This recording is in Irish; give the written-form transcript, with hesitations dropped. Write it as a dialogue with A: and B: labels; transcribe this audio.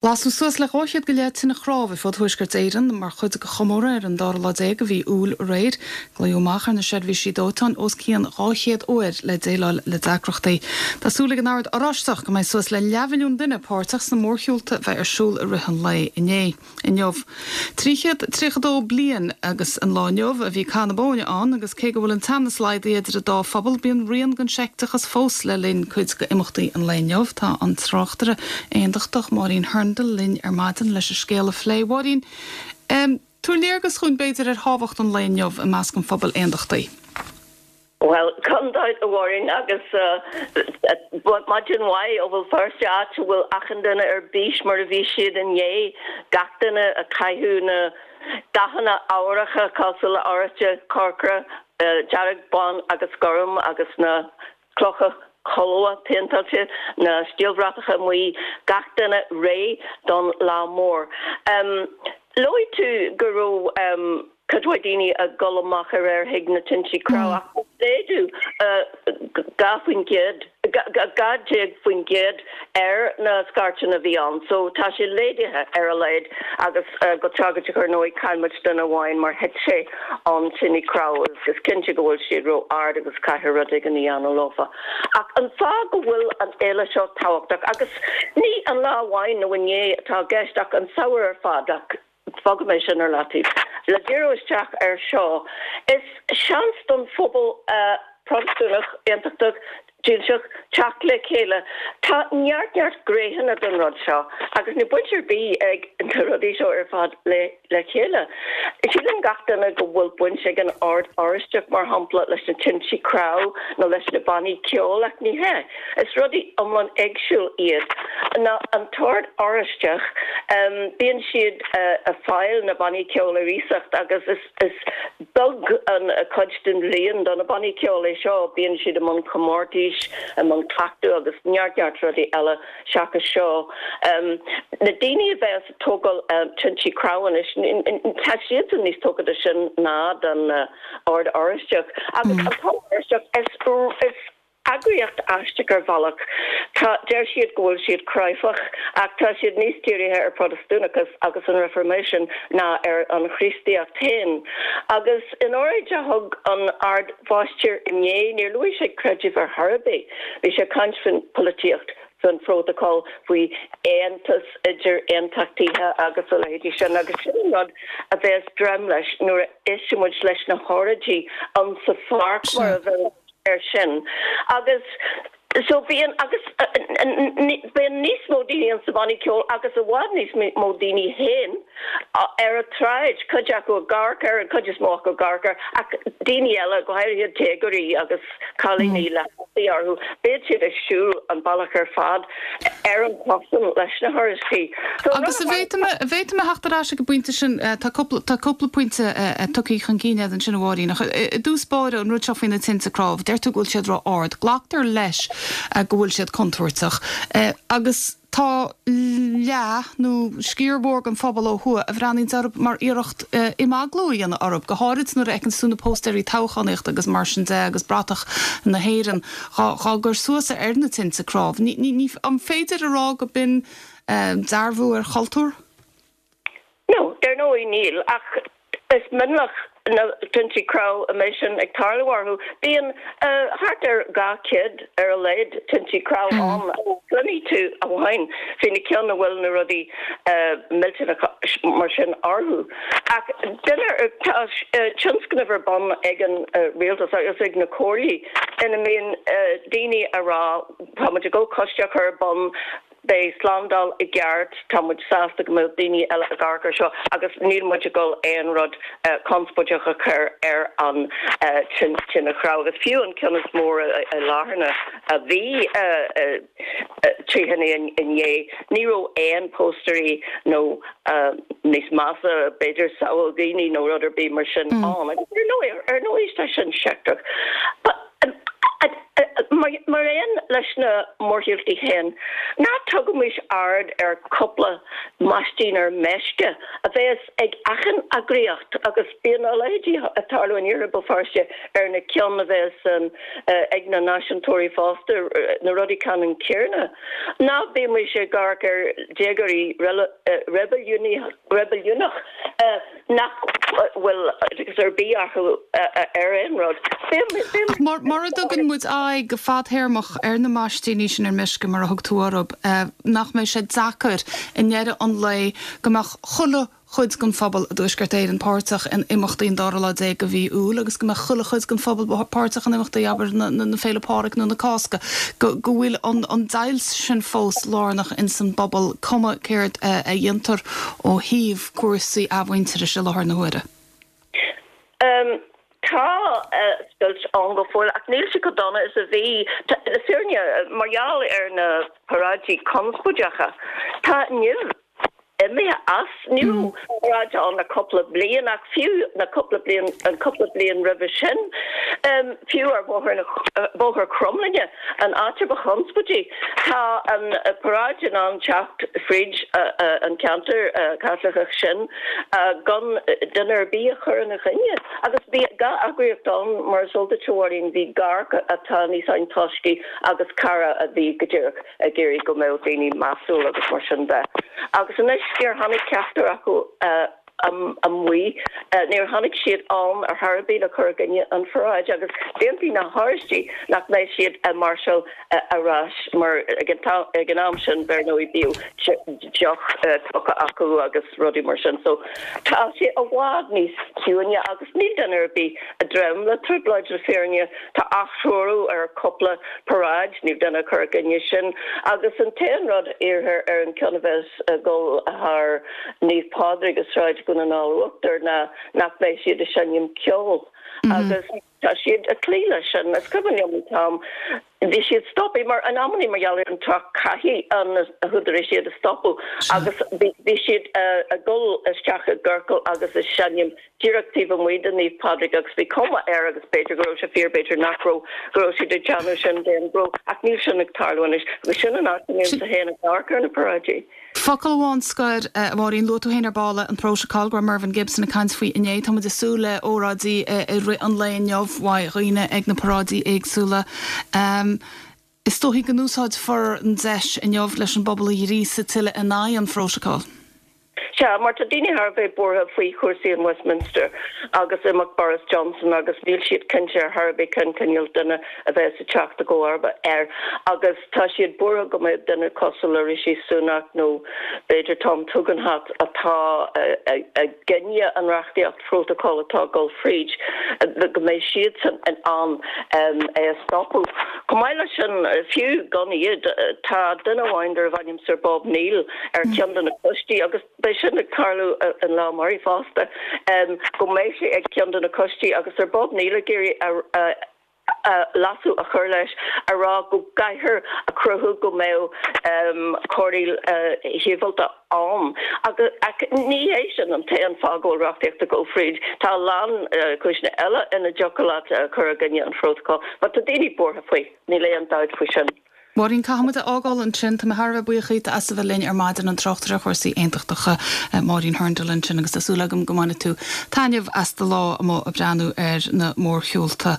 A: Lasadh suas le 200 go leith tine chnámh ar fud Thuaisceart Éireann mar chuid de chomóradh ar an dara lá déag de mhí Iúil aréir. Glaodh amach ar na seirbhísí dóiteáin os cionn 200 uair le déileáil le deacrachtaí. Tá súil ag an Ord Oráisteach go mbeidh suas le leathmhilliún duine páirteach sna mórshiúlta a bheidh ar siúl i rith an lae inné. Inniu. 332 bliain agus an lá inniu a bhí Cath na Bóinne ann agus cé go bhfuil an teannas laghdaithe idir an dá phobal bíonn rian den seicteachas fós le linn cuid d'imeachtaí an lae inniu. Tá an tráchtaire aondachtach Máirín Hurndall linn ar maidin leis an scéal a phlé. Mháirín, tabhair léargas dhúinn b'fhéidir ar thábhacht an lae inniu i measc an phobail aondachtaigh.
B: Bhuel, gan dabht, a Mháirín, agus maidin mhaith ó Bhéal Feirste, áit a bhfuil achan duine ar bís mar a bhí siad inné, gach duine ag caitheamh na dathanna ámharacha cosúil le oráiste, corcra, dearg, bán agus gorm agus na clocha colbha péinteáilte, na stiallbhratacha amuigh, gach duine réidh don lá mór. Luaigh tú go raibh cuid mhaith daoine ag dul amach aréir chuig na tintí cnámh ach laghdú 2%, 12% ar na scairteanna a bhí ann so tá sé laghdaithe ar a laghad agus go tragóideach ar ndóigh chaill muid duine amháin mar thit sé ón tine cnámh agus is cinnte go bhfuil siad ró-ard agus caithfear rud éigin a dhéanamh leofa. Ach an fáth go bhfuil an fhéile seo tábhachtach agus ní an lá amháin nó inné atá i gceist ach an samhradh ar fad ach fágfaidh mé sin ar leataobh. Le díriú isteach air seo, is seans don phobal Protastúnach, Aontachtach, Dílseach teacht le chéile. Tá neart neart gnéitheanna don rud seo agus níl baint ar bith ag na rudaí seo ar fad le le chéile. Síleann gach duine go bhfuil baint ag an Ord Oráisteach, mar shampla, leis na tintí cnámh nó leis na bannaí ceoil ach ní hea. Is rudaí iomlán éagsúil iad. Ná an tOrd Oráisteach, bíonn siad ag fáil na bannaí ceoil ar iasacht agus is Is beag an chuid den bhliain do na bannaí ceoil é seo. Bíonn siad i mbun comórtais, i mbun cleachtadh agus neart neart rudaí eile seachas seo. Na daoine a bheas ag tógáil tintí cnámh anois, tá siadsan níos tógtha de sin ná don Ord Oráisteach. Agus an tOrd Oráisteach, is. Eagraíocht aisteach ar bhealach. Tá, deir siad go bhfuil siad cráifeach, ach tá siad níos dírithe ar Protastúnachas agus an Reifirméisean ná ar an Chríostaíocht féin. Agus in óráid a thug an Ard-Mháistir inné, níor luaigh sé creideamh ar chor ar bith. Bhí sé ag caint faoin pholaitíocht, faoin phrótacal, faoi aontas idir aontachtaithe agus a leithéidí sin. Agus sin an rud a bheas greim leis nuair a éistfidh muid leis na hóráidí ann sa pháirc mar a bheadh. air sin agus so bíonn agus bíonn níos mó daoine ann sa bhannaí ceoil agus i bhfad níos mó daoine féin ar an tsráid, cuid acu ag amharc air, an chuid is mó acu ag amharc air ach daoine eile, go háirithe déagóirí agus cailíní le hataí orthu, bíonn siad ag siúl an bealach ar fad ar an chosán leis na hOráistigh.
A: So Agus an bhféadfaidh mé, an bhféadfaidh mé theacht ar ais ag an bpointe sin, tá cúpla, tá cúpla pointe tugtha chun cinn agat ansin a Mháirín, ach i dtús báire an rud seo faoi na tinte cnámh, deir tú go bhfuil siad ró-ard, glactar leis go bhfuil siad contúirteach agus tá leath nó sciar mhór den phobal ó thuaidh a bhreathnaíonn orthu mar iarracht imeaglú a dhéanamh orthu, go háirid nuair a fheiceanns tú na póstaeirí toghchánaíochta agus mar sin de agus bratach na hÉireann. Dhá gcur suas ar na tinte cnámh. Ní, an féidir a rá go b'in dearbhú ar chultúr?
B: No, dar ndóigh níl, ach is mionlach na tintí cnámh a mbeidh sin ag tarlú orthu. Bíonn thart ar 200 ar a laghad tintí cnámh ann. Cluinfidh tú amháin faoi na cinn a bhfuil na rudaí millteanacha mar sin orthu. Ach duine, tá tionscnamh ar bun ag an rialtas agus ag na comhairlí ina mbíonn daoine a rá tá muid ag dul coiste a chur ar bun, beidh slándáil i gceart, tá muid sásta go mbeadh daoine eile ag amharc ar seo agus níl muid ag dul aon rud conspóideach a chur ar an tine chnámh. Agus fiú an ceann is mór i láthair na a bhí tráthnóna inné, ní raibh aon póstaeirí nó níos measa, b'fhéidir samhail daoine nó rud ar bith mar sin ann. Agus ar ndóigh, ar ndóigh tá sin seicteach. Mar aon leis na mórshiúltaí féin, ná tugaimis aird ar cúpla maistín ar meisce a bheas ag achan eagraíocht agus bíonn a leithéidí ag tarlú in Iarthar Bhéal Feirste ar na ceann a bheas ag na náisiúntóirí fosta, na rudaí ceannann céanna. Ná bímis ag amharc ar déagóirí reibiliúnach nach bhfuil oideachas ar bith acu ar aon rud.
A: Ach mura dtugann muid aghaidh go fadthéarmach ar na maistíní sin ar meisce, mar a thug tú orthu, nach mbeidh sé deacair i ndeireadh an lae go mbeadh chuile chuid den phobal i dTuaisceart Éireann páirteach in imeachtaí an dara lá déag de mhí Iúil agus go mbeadh chuile chuid den phobal páirteach in imeachtaí, abair, na Féile Pádraig nó na Cásca, go bhfuil an deighilt sin fós lárnach ins an bpobal, cuma céard a dhéantar ó thaobh cúrsaí athmhuintearais i láthair na huaire?
B: Tá scoilt ann go fóill ach níl sé chomh dona is a bhí. Le fírinne, mar gheall ar na paráidí conspóideacha, tá nimh imithe as. Ní raibh paráid ann le cúpla bliain ach fiú na cúpla bliain, an cúpla bliain roimhe sin, fiú ar Bhóthar na, Bóthar Cromghlinne, an áit a ba chonspóidí, tá an paráid in ann teacht fríd an ceantar Caitliceach sin gan duine ar bith a chur ina choinne. Agus bhí gach eagraíocht ann, mar is eol duit, a Mháirín, bhí Garda atá níos antoiscí agus Cara a bhí go díreach ag iarraidh go mbeadh daoine measúil agus mar sin de. Agus anois níor tháinig ceachtar acu amuigh, níor tháinig siad ann ar chor ar bith le cur i gcoinne an pharáid agus d'aontaigh na hOráistigh nach mbeidh siad ag máirseáil ar ais mar ag an am sin ar ndóigh bíodh deoch tugtha acu agus rudaí mar sin. So tá sé i bhfad níos ciúine agus níl duine ar bith ag dréim le trioblóid le fírinne. Tá atreorú ar cúpla paráid, níl duine ag cur i gcoinne sin, agus an t-aon rud a iarrthar ar an ceann a bheas ag dul thar Naomh Pádraig i Sráid Dhún na nGall Uachtar ná nach mbeidh siad ag seinm ceoil agus tá siad ag cloí leis sin. Is cuimhin liom an t-am bhí siad stoptha mar in amannaí mar gheall ar an trácht caithfidh na húdaráis iad a stopadh agus bhí siad ag dul isteach i gciorcal agus ag seinm díreach taobh amuigh de Naomh Pádraig agus bhí cuma air, agus b'fhéidir go raibh sé fíor, b'fhéidir nach raibh, go raibh siad ag déanamh sin d'aon ghnó, ach níl sin ag tarlú anois agus sin an áit a mbímse féin ag amharc ar na paráidí.
A: Focal amháin scoir, a Mháirín, luaigh tú féin ar ball an prótacal, go raibh Mervyn Gibson ag caint faoi inné. Tá muid ag súil le óráidí i rith an lae inniu uaidh dhaoine ag na paráidí éagsúla. Is dóichí go n-úsáidfear an deis inniu leis an bpobal a ghríosadh tuilleadh in aghaidh an phrótacail.
B: Sea, mar tá daoine thar a bheith buartha faoi chúrsaí in Westminster agus imeacht Boris Johnson agus níl siad cinnte ar chor ar bith cén cineál duine a bheas ag teacht i gcomharba air agus tá siad buartha go mbeadh duine cosúil le Rishi Sunak nó b'fhéidir Tom Tugendhat atá i gcoinne an reachtaíocht phrótacail atá ag dul fríd, go mbeidh siadsan in ann é a stopadh. Chomh maith leis sin, fiú gan iad, tá duine amháin darbh ainm Sir Bob Neill ar cheann de na coistí, agus beidh sin ag tarlú an lá amárach fosta, go mbeidh sé ag ceann de na coistí agus Sir Bob Neill ag iarraidh a leasú a chur leis a rá go gcaithfear a chruthú go mbeadh cóireáil shibhialta ann. Ach ní hé sin an t-aon fáth go bhfuil reachtaíocht ag dul fríd. Tá a lán cúiseanna eile ina dtiocfadh leat cur i gcoinne an phrótacail. But tá daoine buartha faoi, níl aon dabht faoi sin.
A: Máirín, caithfimid a fhágáil ansin. Tá mé thar a bheith buíoch díot as a bheith linn ar maidin, an tráchtaire ar chúrsaí aontachtacha, Máirín Hurndall ansin agus tá súil agam go mbainfidh tú taitneamh as do lá amuigh ag breathnú ar na mórshiúlta.